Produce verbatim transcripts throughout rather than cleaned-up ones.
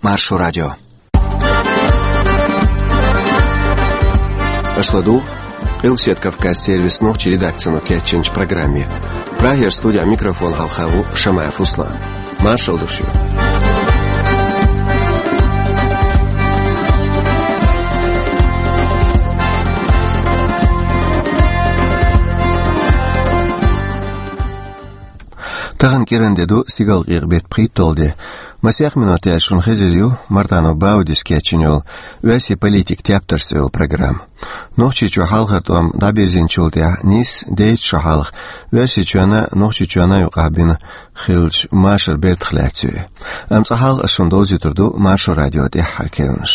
Маршо радио. Аша ладугӀу Къилбаседа Кавказан сервисан нохчийн редакцино кечйинчу программе. Прагера студехь микрофон хьалха ву Шамаев Руслан. Маршалла ду шуьга. Тахана кӀиран де ду, стигалкъекъа беттан пхийтталгӀа де. Масех минот яьлча шуна хезар ю Мартанов Баудис кечйина йолу «Оьрсийн политикан тептарш» цӀе йолу программа. Нохчийчохь хьалхара тӀом дӀабирзинчул тӀаьхьа нийсса дейтта шо хьалха Оьрсийчоьнна а, Нохчийчоьнна а юкъахь бина хиллачу машаран бертах лаьцна ю и. Амма цкъа хьалха ас шуна довзуьйтур ду Маршо радион тӀаьххьара керланаш.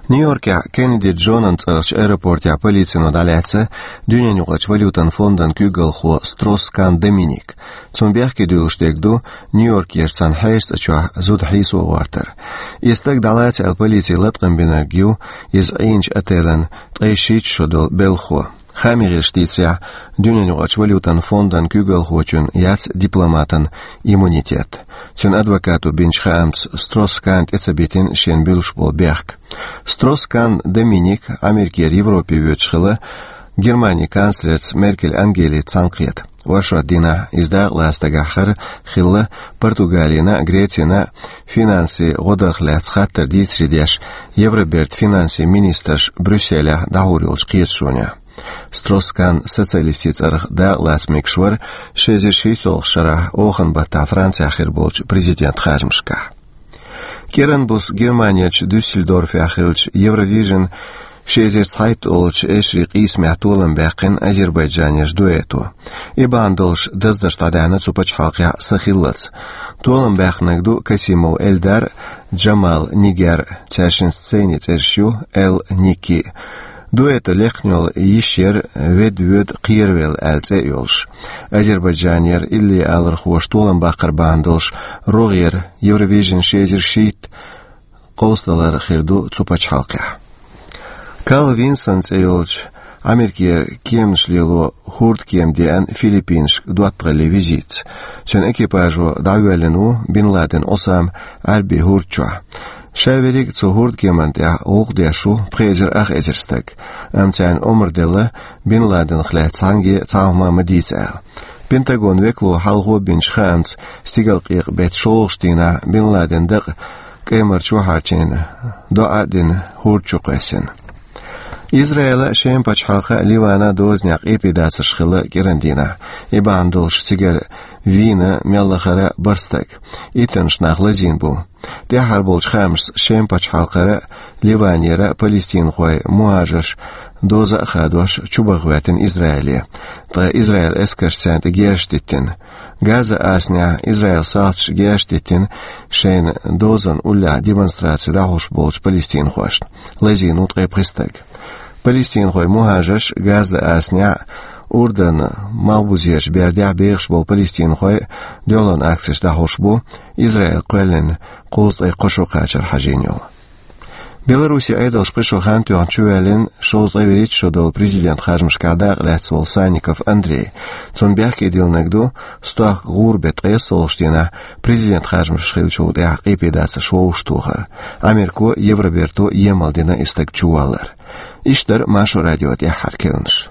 Нью-Йоркехь Кеннеди Джонан цӀарахчу аэропортехь полицино дӀалаьцна дуьненаюкъарчу валютан фондан куьйгалхо Стросс-Кан Доминик. Цунна бехке дуьллуш дерг ду Нью-Йоркерчу цхьана хьешацӀа чохь зуда хьийсо гӀортар. И стаг дӀалаца аьлла полици латкъам бинарг ю иза Ӏийначу отелан ткъе шийтта шо долу белхахо. Хаамийн гӀирсаша дийцарехь, дуьненаюкъарчу валютан фондан куьйгалхочун яц дипломатан иммунитет. Цуьнан адвокато бинчу хаамца, Стросс-Кан тӀе ца битина шена буьллуш болу бехк. Стросс-Кан Доминик Америкера Европе воьдуш хилла Германин канцлерца Меркель Ангелица цхьаьнакхета. Оршот дийнахь иза дакъалаца стагехь хӀара хилла Португалина а, Грецина а финансийн гӀодарх лаьцна хаттар дийцаре деш Евробертан финансийн министрш Брюсселехь дӀахьур йолчу кхеташонехь. Стросс-Кан социалистийн цӀарах дакъалаца мегаш вара, ши эзар шийтталгӀачу шарахь оханан баттахь Францехь хир болчу президентан харжамашкахь. КӀиран буса Германерчу Дюссельдорфехь хиллачу Евровижн ши эзар цхьайтта олучу эшарийн къийсамехь толам баьккхина азербайджанерчу дуэто. И бахьана долуш даздарш дӀадаьхьна цу пачхьалкхехь са хиллалц. Толам баьккхинарг ду Касимов Эльдар, Джамал Нигер, цаьршиннан сценин цӀераш ю Эл Ники. Дуэто лехна йолу йиш яра «Ведда воьду кхеравелла» аьлла цӀе а йолуш. Азербайджанера иллиалархоша толам баккхар бахьана долуш рогӀера Евровижн ши эзар шийтта къовсадалар хир ду цу пачхьалкхехь. Карл Винсон цӀе йолчу Америкера кеманаш лело хӀордкема деана Филиппинашка доттагӀаллин визитца. Цуьнан экипажо дӀавоьллина ву Бин Ладен Осама Ӏаьрбийн хӀорда чохь. Ша верриг а цу хӀордкеман тӀехь гӀуллакх деш ву пхи эзар ах эзар стаг, амма царна омра делла Бин Ладенах лаьцна цхьаьнгге а цхьа а хӀума ма дийца аьлла. Пентагонан векало хьалхо бинчу хаамца, стигалкъекъа беттан шолгӀачу дийнахь Бин Ладенан дакъа кӀаймарчу вахьарчийн доӀа а дина, хӀорда чу кхоьссина. Израилан а, Шеман пачхьалкхан а, Ливанан а дозанехь къепедацарш хилла кӀиран дийнахь. И бахьана долуш цигара вийна мел лахара бархӀ стаг. Иттаннаш нах лазийна бу. ТӀаьххьара болчу хаамашца Шеман пачхьалкхера а, Ливанера а палестинхой, мухӀажарш доза а хадош чубаха гӀоьртина Израиле. Ткъа Израилан эскарша царна тӀе герзаш диттина. Газан асанехь Израилан салташа герзаш диттина шайна дозанна уллехь демонстраци дӀахьош болчу палестинхошна. Лазийна ву ткъе пхи стаг. Палестинхойн мухӀажарш Газан асанехь а, Урданан малхбузерчу бердехь а бехаш болу палестинхой дуьхьалонан акцеш дӀахьош бу, Израиле кхоьллина кхузткъе кхо шо кхачар хьажийна йолу. Беларусин Ӏедалша пхи шо хан тоьхна чувоьллина шовзткъе вуьрхӀитта шо долу президентан харжамашкахь дакъалаьцна волу Санников Андрей. Цунна бехке диллинарг ду стохка гӀуран беттан ткъайоьсналгӀачу дийнахь президентан харжамаш хиллачул тӀаьхьа къепедацарш вовшахтохар. Америко а, Евроберто а емал дина и стаг чуваллар. Иштта дара Маршо радион тӀаьххьара керланаш.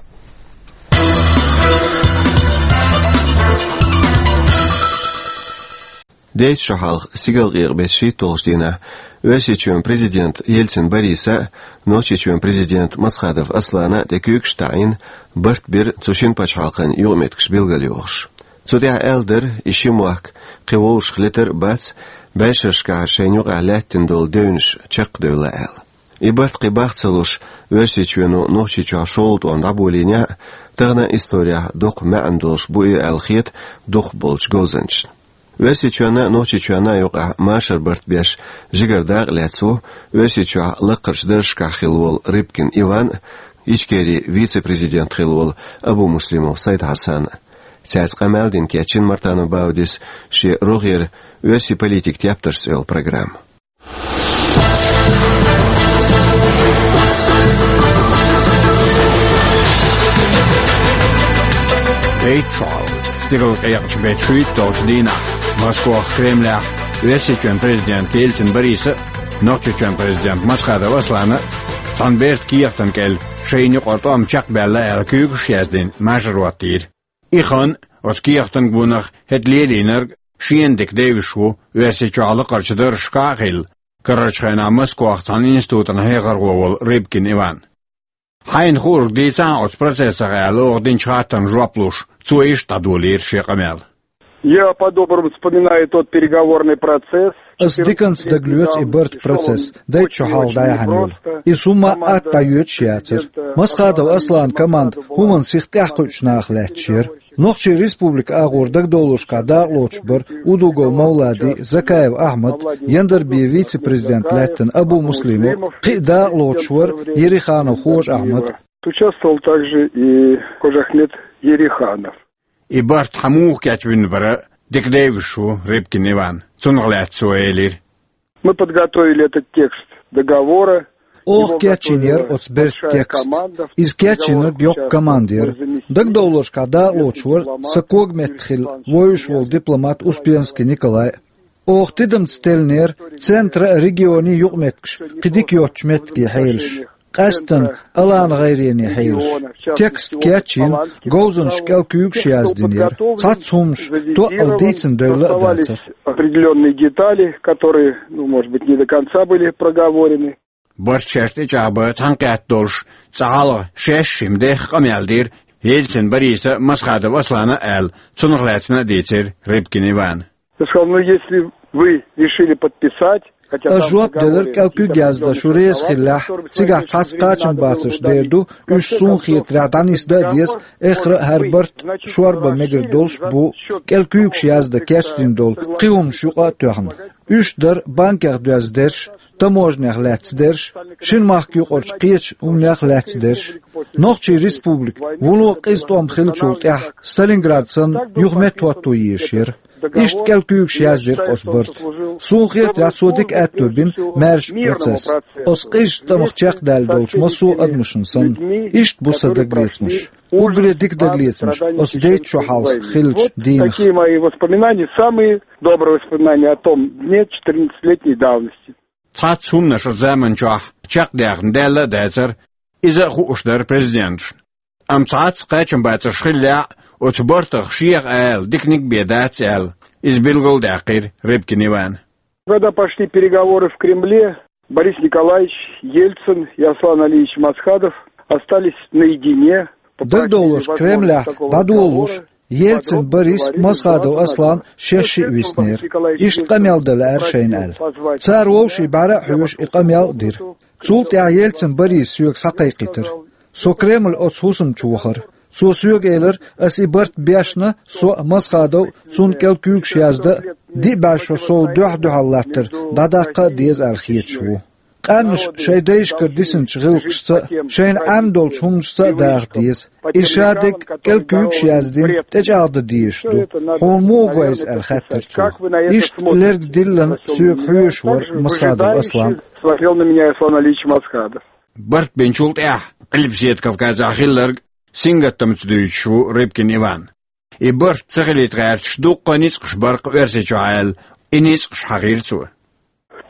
Дейтта шо хьалха, стигалкъекъа беттан шийтталгӀачу дийнахь, Оьрсийчоьнан президента Ельцин Бориса а, Нохчийчоьнан президента Масхадов Аслана а тӀе куьйгаш а таӀийна, барт бира цу шина пачхьалкхан юкъаметтигаш билгалйохуш. Цу тӀехь аьлла дара, и ши мохк кхин вовшах летар а бац, бӀешерашкахь шайна юкъахь лаьттина долу девнаш чекхдевлла аьлла. И барт кхин бах ца луш, Оьрсийчоьно Нохчийчохь шолгӀа тӀом дӀаболийнехь а, тахана исторехь дукха маьӀна долуш бу и аьлла хета дукхахболчу говзанчашна. Оьрсийчоьнна а, Нохчийчоьнна а юкъахь машаран барт беш жигара дакъалаьцна ву Оьрсийчохь лакхарчу даржашкахь хилла волу Рыбкин Иван а, Ичкерин вице-президент хилла волу Абумуслимов Сайд-Хьасан а. Цаьрца къамел дина кечйина Мартанов Баудис шен рогӀера «Оьрсийн политикан тептарш» цӀе йолу программа. Дейтта шо хьалха, стигалкъекъачу беттан шийтталгӀачу дийнахь, Москвахь, Кремлехь, Оьрсийчоьнан президента Ельцин Бориса а, Нохчийчоьнан президента Масхадов Аслана а цхьана бертан кехатан кӀел шайна юкъара тӀом чекхбаьлла аьлла куьйгаш яздина, машар хӀоттийра. И хан а, оцу кехатан гонах хӀета лелийнарг а шена дика девзаш ву Оьрсийчохь лакхарчу даржашкахь а хилла, карарчу хенахь Москвахь цхьана институтан хьехархо волу Рыбкин Иван. Хьайна хуург дийцахьа оцу процессах аьлла, оха динчу хаттарна жоп луш, цо иштта дӀадолийра шен къамел. Я по-доброму вспоминаю тот переговорный процесс. Ас диканца дагалоьцу и барт процесс, дайта шо хьалха дӀаяхьна йолу. Иза хӀумма а атта дӀайоьдуш яцара. Масхадов Аслан команда хӀуманна сиха тӀаьхьакхуьучу наха лаьтташ яра. Нохчийн республика агӀор дагадовларшкахь дакъалоцуш бара Удугов Мовлади, Закаев Ахьмад, Яндарбиев вице-президент лаьттина Абу Муслимов, кхин а дакъалоцуш вара Ереханов Хож-Ахьмад. Участвовал также и Хож-Ахмед Ереханов. И барт хьан муха кечвина бара дика девзаш ву Рыбкин Иван. Цунах лаьцна цо элира: Мы подготовили этот текст договора. Оха кечйина яра оцу бертан текст. Иза кечйинарг йоккха команда яра. Дагадовларшкахь дакъалоцуш вара сан когаметта хилла вевзаш волу дипломат Успенский Николай. Оха тидамца теллинера центра а, регионийн юкъаметтигаш кхин дика йоцучу меттиге хьелаш. Къаьсттина алан гӀайрене хьелаш. Текст кечйина, говзанчаш кӀел куьйгаш яздина яра. Цхьацца хӀуманаш тоъал дийцина девлла а дацара. Определённые детали, которые, ну, может быть, не до конца были проговорены. Барт шаьш тӀечӀагӀбан цхьаьнакхетта долуш, цкъа хьалха шаьш а хӀима дехха къамел дира Ельцин Бориса а, Масхадов Аслана а аьлла, цунах лаьцна а дийцира Рыбкин Ивана. Я сказал: «Ну, если вы решили подписать, хотя там в договоре какие-то определённые клаузы, то, чтобы существовали». Ас жоп делира, кӀел куьг яздо шу реза хиллехь, цигахь цхьацца кхачам бацарш дер ду, уьш суна хетарехь дӀанисдан а деза, эххар а хӀара барт шорбан мегар долуш бу, кӀел куьйгаш яздан кечдина долу кхин хӀуманаш юкъа а тоьхна. Уьш дара банкех доьзна дерш, таможнех лаьцна дерш, шина махка юкъарчу кхечу хӀуманех лаьцна дерш. Нохчийн республика вуно къиза тӀом хиллачул тӀаьхьа Сталинград санна юха меттахӀотто езаш яра. Иштта кӀел куьйгаш яздира оцу барта. Суна хетарехь, цо дика аьтто бина маьршачу процесс. Оцу къизачу тӀамах чекхдаьлла долчу массо а адамашна санна. Иштта бу сан дагалецамаш. Уггаре дика дагалецамаш оцу дайта шо хьалха хиллачу дийнах. Такие мои воспоминания, самые добрые воспоминания о том дне четырнадцатилетней давности. Цхьацца хӀуманаш оцу заманчохь чекхдаьхна даьлла а дацара, иза а хууш дара президенташна. Амма цхьацца кхачамбацарш хиллехь а, оцу бартах шех ала диканиг а бен дац аьлла, иза билгалдаьккхира Рыбкин Ивана. Когда пошли переговоры в Кремле, Борис Николаевич Ельцин и Аслан Алиевич Масхадов остались наедине. Дагадовлуш, Кремлехь дӀадолалуш, Ельцин Борис, Масхадов Аслан шаьш шиъ виснера. Иштта къамел дан лаьара шайна аьлла. Цара вовшийн бӀаьра а хьоьжуш и къамел а дира. Цул тӀаьхьа Ельцин Борис соьга схьакхайкхийтира. Со Кремль оцу хӀусам чу вахара. Цо соьга элира, ас и барт бешна, со а, Масхадов а, цунна кӀел куьйгаш яздан а, диъ бӀаьрг шо сов дуьхь-дуьхьал латтар дӀадаккха а деза аьлла хеташ ву. Къаьмнаш шайн дайшкара дисинчу гӀиллакхашца а, шайна Ӏемадолчу хӀуманашца а даха деза. И шадерг кӀел куьйгаш яздина, тӀечӀагӀдан дезаш ду. Хьуна муха го иза аьлла хаьттира цо. Иштта лерг диллина соьга хьоьжуш вара Масхадов Аслан. Смотрел на меня Аслан Алиевич Масхадов. Барт бинчул тӀаьхьа Къилбаседа Кавказехь хилларг сингаттамца дуьйцуш ву Рыбкин Иван. И барт ца хилийта гӀерташ дуккха а ницкъаш бара-кх Оьрсийчохь аьлла, и ницкъаш хьахийра цо.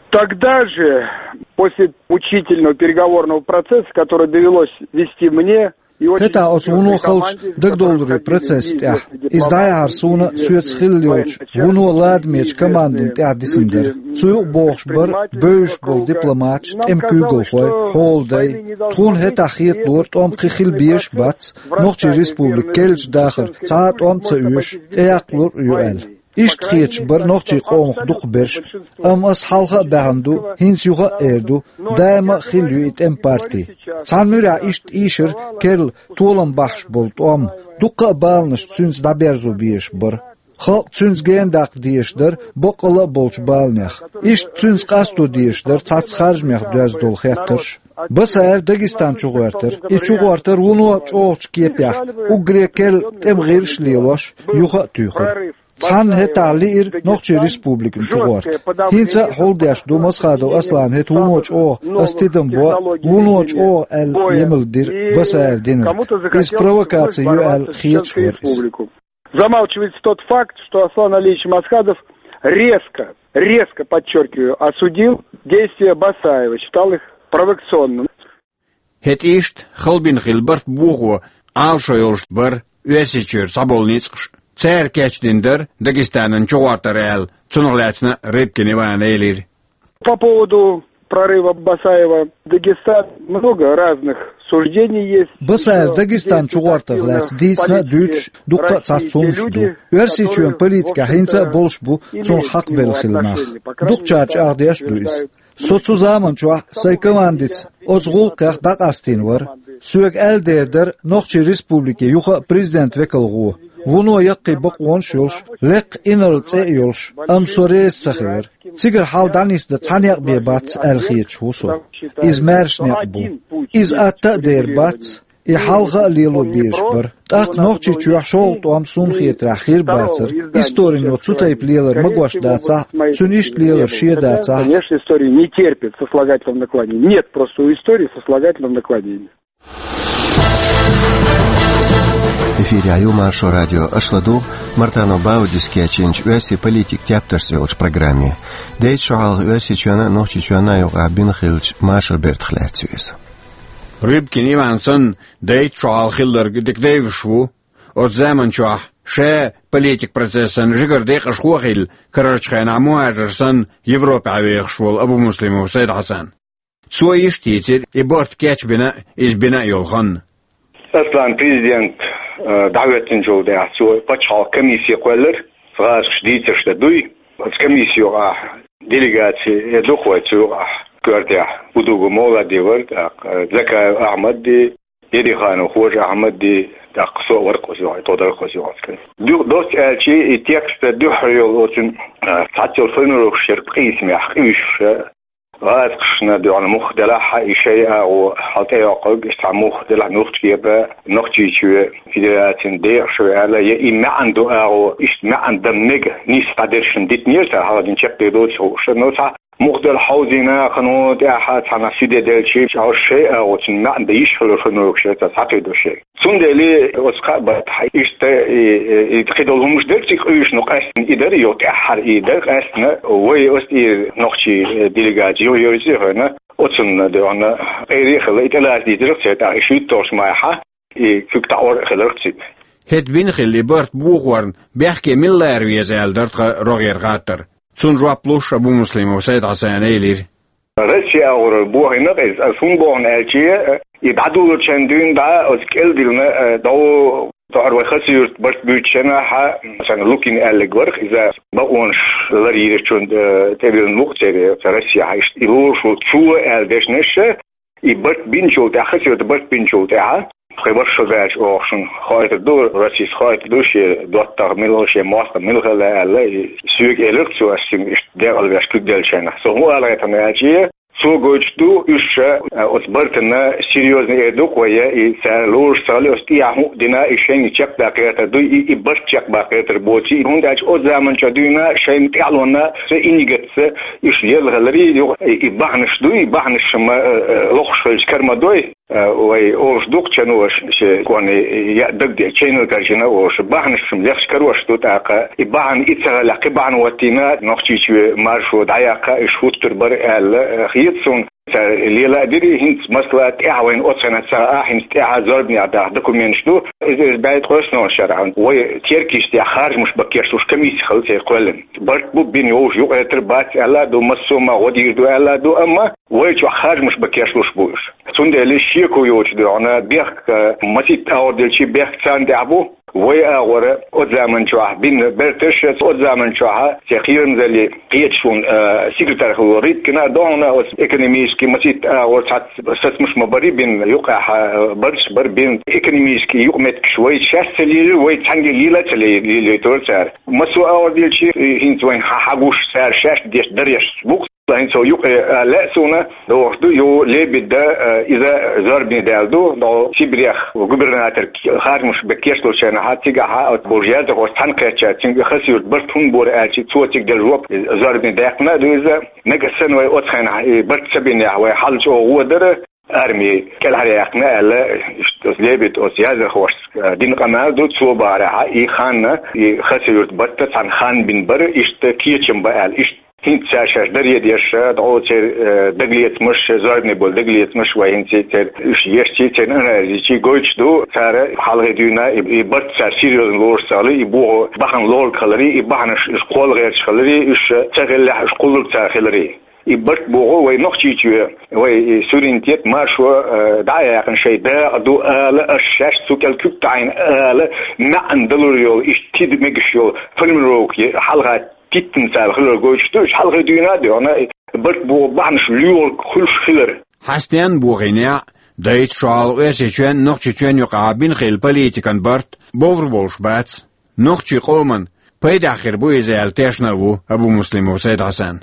Тогда же, после мучительного переговорного процесса, который довелось вести мне, и очень... ХӀетахь оцу вуно халчу дагадовларийн процесс тӀехь, иза дӀаяхьар суна соьца хилла йолчу вуно ладамечу командина тӀехь дисина дара. Цу юкъа бохуш бара бевзаш болу дипломаташ, тӀеман куьйгалхой, хьолдай. Тхуна хӀетахь хеталора, тӀом кхин хила безаш а бац, Нохчийн республика керлачу дахар цхьа а тӀом а ца оьшу, тӀеяккхалур а ю аьлла. Иштта хеташ бара нохчийн къомах дукхахберш, амма ас хьалха а баьхна ду, хӀинца юха а эр ду, даима а хилла ю и тӀеман парти. Цхьана муьрехь иштта ийшира керла толам бахьаш болу тӀом, дуккха а баланаш цуьнца дӀаберзо безаш бара. Халкъ цуьнца генадаккха дезаш дара баккъалла а болчу баланех. Иштта цуьнца къасто дезаш дара цхьацца харжамех доьзна долу хеттарш. Басаев Дагестан чу гӀоьртира. И чугӀортар вуно чӀогӀачу кепехь, уггаре керла тӀеман гӀирсаш лелош, юха а туьйхира. Цхьанна хӀетахь лиира Нохчийн республикана чугӀорта. ХӀинца а хьулдеш ду Масхадов Аслан хӀета вуно чӀогӀа, ас тидам бо, вуно чӀогӀа аьлла емал дира Басаев динарг. Иза провокаци ю аьлла хеташ вара иза. Замалчивается тот факт, что Аслан Алиевич Масхадов резко резко, подчеркиваю, осудил действия Басаева, считал их провокационными. ХӀетта иштта хала бина хилла барт бохо Ӏалашо йолуш бара Оьрсийчуьра цхьаболу ницкъаш. Цара кечдина дара Дагестанан чугӀортар аьлла, цунах лаьцна Рыбкин Ивана элира. По поводу прорыва Басаева в Дагестан много разных суждений есть. Басаев Дагестан чугӀортарх лаьцна дийцина а дуьйцуш дуккха а цхьацца хӀуманаш ду. Оьрсийчоьнан политикехь хӀинца а болуш бу цунах хьакхабелла хилла нах. Дукхачара чӀагӀдеш а ду иза. Со цу заман чохь сайн командица оцу гӀуллакхех дӀакъастийна вара. Соьга аьлла дер дара Нохчийн Республике юха а президент векал гӀо. Вуно яккхий бакъонаш а йолуш, лекха инарла цӀе а йолуш, амма со реза ца хилира. Цигара хьал дӀанисдан цхьа некъ бен бац аьлла хеташ ву со. Иза маьрша некъ бу. Иза атта а дер бац, и хьалха а лело безаш бара. ТӀаккха Нохчийчохь шолгӀа тӀом, суна хетарехь, хир бацара. Историно цу тайпа лелар магош дацахь а, цуьнан иштта лелар шен дацахь а. Конечно, история не терпит сослагательного наклонения. Нет просто у истории сослагательного наклонения. Эфирехь ю Маршо радио. Аша ладугӀу Мартанов Баудис кечйинчу оьрсийн политикан тептарш цӀе йолчу программе. Дейтта шо хьалха Оьрсийчоьнна а, Нохчийчоьнна а юкъахь бина хиллачу машар бертах лаьцна веза. Рыбкин Иван санна, дейтта шо хьалха хилларг дика девзаш ву. Оцу заман чохь ша политикан процессан жигара декъашхо а хилла, карарчу хенахь мухӀажар санна Европехь вехаш волу Абумуслимов Сайд-Хьасан. Цо иштта йийцира и барт кечбина а, иза бина а йолу хан. Аслан президент, э, дӀахӀоьттинчул тӀаьхьа цо пачхьалкхан комисси кхоьллира, гӀазкхаша дийцарш дан дуй. Оцу комисси юкъахь делегаци э ду-кх вай цу юкъахь коьртехь. Удугов Мовлади вара, тӀаккха, э, Закаев Ахьмадди, Дериханов Хожа-Ахьмадди, тӀаккха со а вара-кх оцу юкъахь, тхо дара-кх оцу юкъахь. Дуьхьа доцца аьлча, и текст дуьххьара йолу оцу, э, цхьацца йолу формулировкаш яра къийсамехь къуьйсуш, гӀазкхашна дуьхьал муха делахь а, и шайн агӀо хьал тӀейоккхург, иштта цхьа муха делахь а, Нохчийчоь, Нохчийчоь Федерацин декъашхой аьлла, я и маьӀна ду агӀо, иштта маьӀна дан мега нийса дӀадершна дитинера цара, хьалха дина чекхдер доцуш хууш. Но цхьа муха делахь хьовзийна, кхано тӀаьхьа цхьана суьде делчи, чӀогӀа шайн агӀо, цуьнан маьӀна дан йиш хилла формулировкаш яра цара схьакхийдо шайга. Цундела оцу кхаа баттахь иштта и, и, и кхидолу хӀумнаш дара цига къуьйсуш, но къаьстина и дара, къаьстина и дара, къаьстина вай оцу тӀера нохчийн делегаци юхайовзий хьуна, оцунна дуьхьал къера а хилла, и тӀелаца дийцира-кх церан тӀаккха, и шуьйтталгӀачу майхьа и куьг таӀор а хилира-кх цига. ХӀетта бина хилла и барт бохорна бехке мила лара веза аьлла дара тхан рогӀера хаттар. Цунна жоп луш Абумуслимов Сайд-Хьасана элира. Россин агӀор бохийна-кх иза, аса хӀунда боху аьлча, и дӀадолучарна дуьйна дӀа оцу кӀел диллина, э, дӀо тохара вай Хасавюрт барт буьйцучу хенахь, царна Лукин аьлларг вара-кх иза, бакъонаш ларйийрачунна, э, тӀебиллина ву-кх церан, цу Россехь иштта и лоруш волу цо аьлла дешнаш, и барт бинчул тӀаьхьа, Хасавюрт барт бинчул тӀаьхьа, тхайн вайша шо даьлча оха шуна хоуьйтур ду, Россис хоуьйтур ду, шен доттагӀа мила, шен мостагӀа мила хилла аьлла, и соьга элира-кх цо, ас шуьга иштта декъала веш куьг деллачу хенахь. Со хӀун ала гӀертам аьлча, цо гойтуш ду, уьш ша, а, оцу бартана серьёзно эр ду-кх вай, и цара лоруш ца хилла, оцу тӀехьа хӀун а дина, и шайна чекхдаккха гӀертар дуй, и, и барт чекхбаккха гӀертар боций, хӀунда аьлча оцу заман чохь дуьйна шайна тӀаьхьалонна со иннигатца уьш лелла хиларий, юха и, и бахьанаш дуй, и бахьанаш ма, а, а, лохуш хилча кара ма дой. Э, вай олуш ду-кх чан ваша шен кӀорни яа дагадеъча, чайнал каржина олуш, бахьанаш-м лехча карош ду тӀаккха. И бахьана и ца хилахь, кхин бахьана хӀоттийна, Нохчийчоь маршо дӀаяккха, уьш хӀуттур бара аьлла, э, хета суна. Цара лела а дира, хӀинца масала тӀаьхьа вайна оцу хенахь ца хаьа, хӀинца тӀаьхьа зорбанехь даха документаш ду. Иза, иза бӀе ткъоьсналгӀа шарахь вай Теркийчу тӀехь харжамаш бан кечлуш комисси хилла церан кхоьллина. Барт бу бина йовзуш, юкъа гӀертар бац аьлла а ду, массо а ма гӀо дийр ду аьлла а ду, амма вай чохь харжамаш бан кечлуш бу уьш. Цундела шеко йоцуш дуьхьал бехк, э, масийтта агӀор делчи бехк царна тӀехь бу. Вай агӀора оцу заман чохь бина берташ, оцу заман чохь церан кхерамзаллин кхеташонан, э, секретарь хилла Рыбкина а ду хьуна, оцу экономически масийтта агӀор цхьацца сацамаш ма барий бина, юкъахь, э, барт бара бина, экономически юкъаметтигаш вай шаьш ца лелира, вай цхьаьнгге лела а ца ле-, лелийтира цара. Массо а агӀор делчи, э, хӀинца вайна хьа-, хьагуш цара шаьш деш дареш бу-кх. ХӀинца юкъа, э, лаьа суна, догӀуш ду, ю Лебеда, э, иза зорбане даьлла ду, догӀу Сибрех губернатор харжамаш бан кечлучу хенахь, цигахь оцу болчу яздархошца цхьаьна кхетча, цуьнга Хасавюрт барт хӀунда бора аьлчи, цо цига делла жоп, э, зорбане даьккхина а ду иза. Нагахь санна вай оцу хенахь и барт ца бинехь, вай хьал чӀогӀа гӀо дара, арми кӀелхьаръяьккхина аьлла, иштта оцу Лебеда оцу яздархошца, э, дина къамел ду, цо бахарехь, и ханна, и Хасавюрт барт цхьана ханна бина бара, иштта кечам бан аьлла, иштта ХӀинца цара шаьш даре деш, дӀо церан, э, дагалецамаш, зорбане бола дагалецамаш, вай хӀинца церан уьш ешча, церан анализ йича гойтуш ду, цара хьалхе дуьйна и, и барт цара серьёзно лоруш ца хиларе, и бохо бахьан лорг хиларе, и бахьанаш уьш кхолла гӀерташ хиларе, уьш ца хиллехь уьш кхуллург цара хиларе. И барт бохо вай Нохчийчоь, вай и суверенитет, маршо, э, дӀа а яьккхина шоай дакъа ду ала, аш шаьш цу кӀел куьг таӀийна ала, маьӀна далур йола, иштта тида мегаш йола формулировка хьалха титтина цара хилар гойтуш ду, уьш хьалхе дуьйна а доьгӀна, барт бохо бахьанаш лоьрг хуьлуш хилар. Хьастенна бохийна, дайта шо хьалха Оьрсийчоьнна, Нохчийчоьнна юкъахь бина хилла политикан барт бовр болуш бац. Нохчийн къоман пайдехь хир бу иза аьлла тешна а ву Абумуслимов Сайд-Хьасан.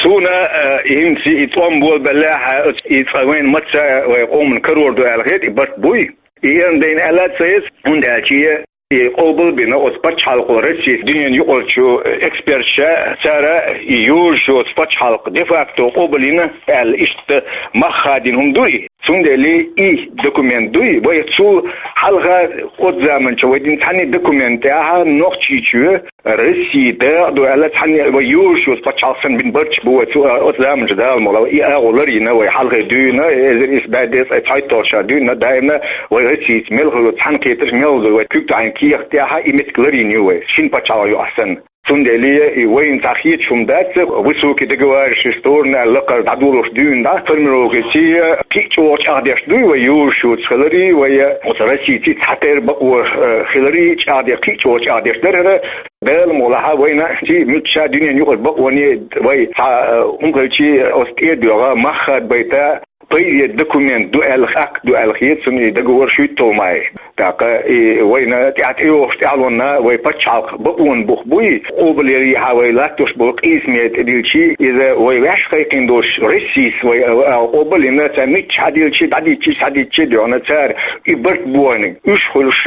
Суна, э, хӀинца и тӀом болабеллехь, и цкъа вайна маца вай къоман карор ду аьлла хета, и барт буй. И эрна дайна аьлла а ца еза, хӀунда аьлча и къобал бина оцу пачхьалкхо Россис дуьненан юкъарчу эксперташа, цара и йозуш йоцу пачхьалкх де-факто къобал йина аьлла, иштта мах хадийна хӀума ду и. Цундела и документ дуй, вай цул хьалха оцу заманчохь вай дина цхьанне документ тӀехь Нохчийчоь Россин дакъа ду аьлла, цхьанне вай йозуш йоцу пачхьалкх санна бина барташ бу вай цу, оцу заманчохь Дала мукъ лахь, и агӀо ларйина вай хьалхе дуьйна, эзар исс бӀе дезткъе цхьайтталгӀачу шарахь дуьйна, даимна вай Россица мел хилла цхьаьнакхетарш мел ду вай куьг таӀийна кехат тӀехь, и меттиг ларйина ю вай, шина пачхьалкхан юкъахь санна. Цундела и вайна цхьа хеташ хӀума дац, высокий договаривающий сторона аьлла лакхара дӀадолош дуьйна дӀа, формулировкаций кхин а чӀогӀа чӀагӀдеш дуй вай йозуш йоцу хиларе, вай оцу Россиций цхьатерра бакъо, э, хиларе чӀагӀдеш, кхин а чӀогӀа чӀагӀдеш дара хӀара, Дала мукъ лахь вайна ций муьлхха дуьненан юкъара бакъоне вай цхьа, э, хӀума хилчий оцу тӀе а доьгӀна, мах хадабайта, пайде документ ду аьлла, акт ду аьлла хета суна и договор шуьйтталгӀа май. ТӀаккха и вайна тӀаьхьа тӀейогӀуш тӀаьхьалонна вай пачхьалкх бакъонан бух буй, къобалъярехьа вай латтош болу къийсаме тӀедилчий, иза вай ваьш кхайкхийна долуш Россис вай, а, а, къобалйина, цара мичча хьадилчий, дӀадитчий, схьадитчий а доьгӀна, цара и барт бохийнарг уьш хуьлуш,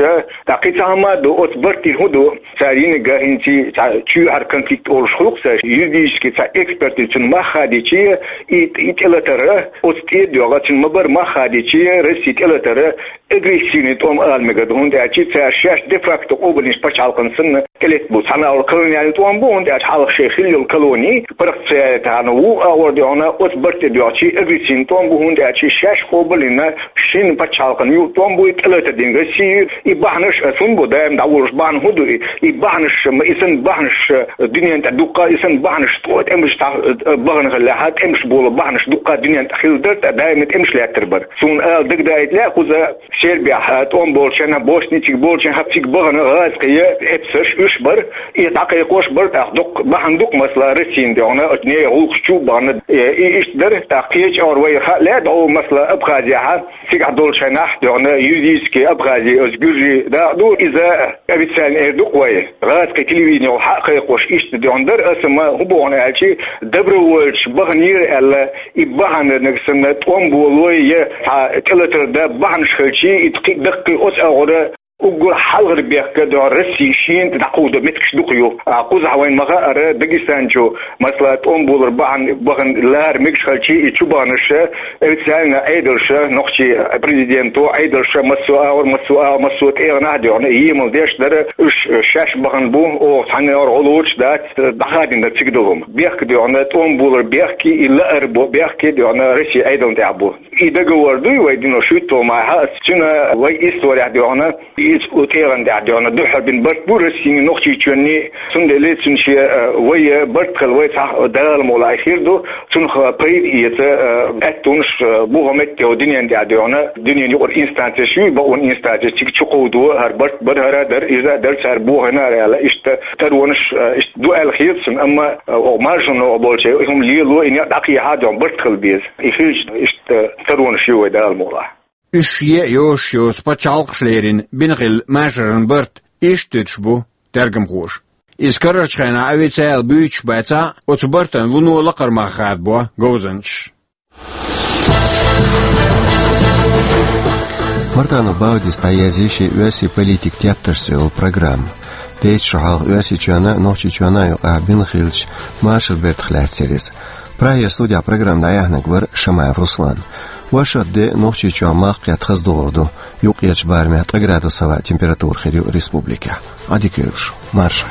тӀаккха кхин цхьа хӀума а ду, оцу бартийн хӀун ду? Цара йинарг хӀинца цхьа чоьхьара конфликт олуш хуьлу-кх цара, юридически цхьа экспертиза цуьнан мах хадийчий, и, и тӀелатар, оцу тӀе а доьгӀна, цуьнан ма-барра мах хадийчий, Россин тӀелатар агрессивный тӀом ала мегар ду, хӀунда аьлча цара шаьш де-факто къобалйинчу пачхьалкхан санна тӀелетта бу. Цхьана агӀор колониальный тӀом бу, хӀунда аьлча хьалха шайн хилла йолу колони, паргӀат ца яйта хьана ву, агӀор доьгӀна, оцу барт тӀе доьгӀчий агрессивный тӀом бу, хӀунда аьлча шаьш къобалйина шина пачхьалкхан юкъа тӀом бу, и тӀелатар дина Росси, и бахьанаш а цунна бу, даим дӀаволуш бахьана хӀун ду и? И бахьанаш, ма и санна бахьанаш дуьнен тӀе дуккха, и санна бахьанаш тӀо-, тӀемаш тӀе, э, бахана хиллехьа, тӀемаш болу бахьанаш дуккха дуьнен тӀе хилла дара, тӀа даим тӀемаш лаьттар бара. Суна ала дагадаийта лаьа кхуза Сербехь, э, тӀом болчарна, Босничиг болчарна, хьа цига бахана гӀазкхий эпсарш уьш бара, и дӀакхайкхош бара, тӀаккха дуккха бахьана ду-кх, масала, Россин доьгӀна, оцу нехан гӀуллакхаш чу а бахана, э, и иштта дара, тӀаккха кхечу агӀор вай хаа лаьа, дӀо, масала, Абхазехьа, цигахь долчу хенахь доьгӀна юридически Абхази, оцу гуьржийн дакъа ду, иза официально эр ду-кх вай. ГӀазкхи телевидени йолу хьа а кхайкхош иштта доьгӀна дара, аса ма хӀун боху аьлча, добровольцаш баханера аьлла, и бахьанарниг санна тӀом болой я цхьа тӀелатар дан бахьанаш хилчий, и кхин даккхий оцу агӀора уггар хьалхара бехк доьгӀна Росси шена тӀе дӀакховдо меттигаш дукха ю. А кхузахь вайн ма хаара, Дагестан чу, масала, тӀом болар бахьана, бахана лара мегаш хилчий, и чу баханарш официально Ӏедалша, нохчийн президенто Ӏедалша, массо а агӀор, массо а агӀор, массо а тӀегӀанахь а доьгӀна, емал деш дара, уьш шаьш бахана бу, оха цхьанна агӀор гӀо лоцуш дац, дӀахадийна дара цига долу хӀума. Бехк доьгӀна, тӀом болар бехке, и лаар бо бехке доьгӀна Росси Ӏедална тӀехь бу. И договор дуй вай дина шуьйтталгӀа май хьа, цуьнан вай исторехь доьгӀна, иза тӀегӀан тӀехь доьгӀна дуьххьара бина барт бу Россини, Нохчийчоьнни, цундела цуьнан шен, э, вай барт хила вай цхьа Дала мукъ лахь хир ду, цунах пайда эца, э, аьттонаш, э, бу хӀокху метте дуьнен тӀехь доьгӀна, дуьненан юкъара инстанцеш ю, бакъонан инстанцеш цига чу кховдо, хӀара барт бара, хӀара а дара, иза а дара, цара бохийна а аьлла, иштта таронаш, э, иштта ду аьлла хета суна, амма, э, оха маршонна оха болчу, и хӀума лело, и некъ дӀакхехьа а доьгӀна барт хила беза. И хилча, иштта таронаш ю вай Дала мукъ лахь. Уьш шен а йозуш йоцу пачхьалкхаш лерина бина хилла машаран барт иштта дуьтуш бу тергамхоша. Иза карарчу хенахь официально буьйцуш бацахь а, оцу бартан вуно лакхара мах хадабо говзанчаш. Мартанов Баудис дӀаязйи шен «Оьрсийн политикан тептарш» цӀе йолу программа. Дайта шо хьалха Оьрсийчоьнна а, Нохчийчоьнна а юкъахь бина хиллачу машаран бартах лаьцна яра иза. Прагера студехь программа дӀаяьхьнарг вара Шамаев Руслан. Вайшат де Нохчийчохь мах кхетта хаза догӀур ду. Юккъерчу барамехь ткъа градус хьаваьа температура хир ю республикехь. Ӏадика йойла шу. Марша.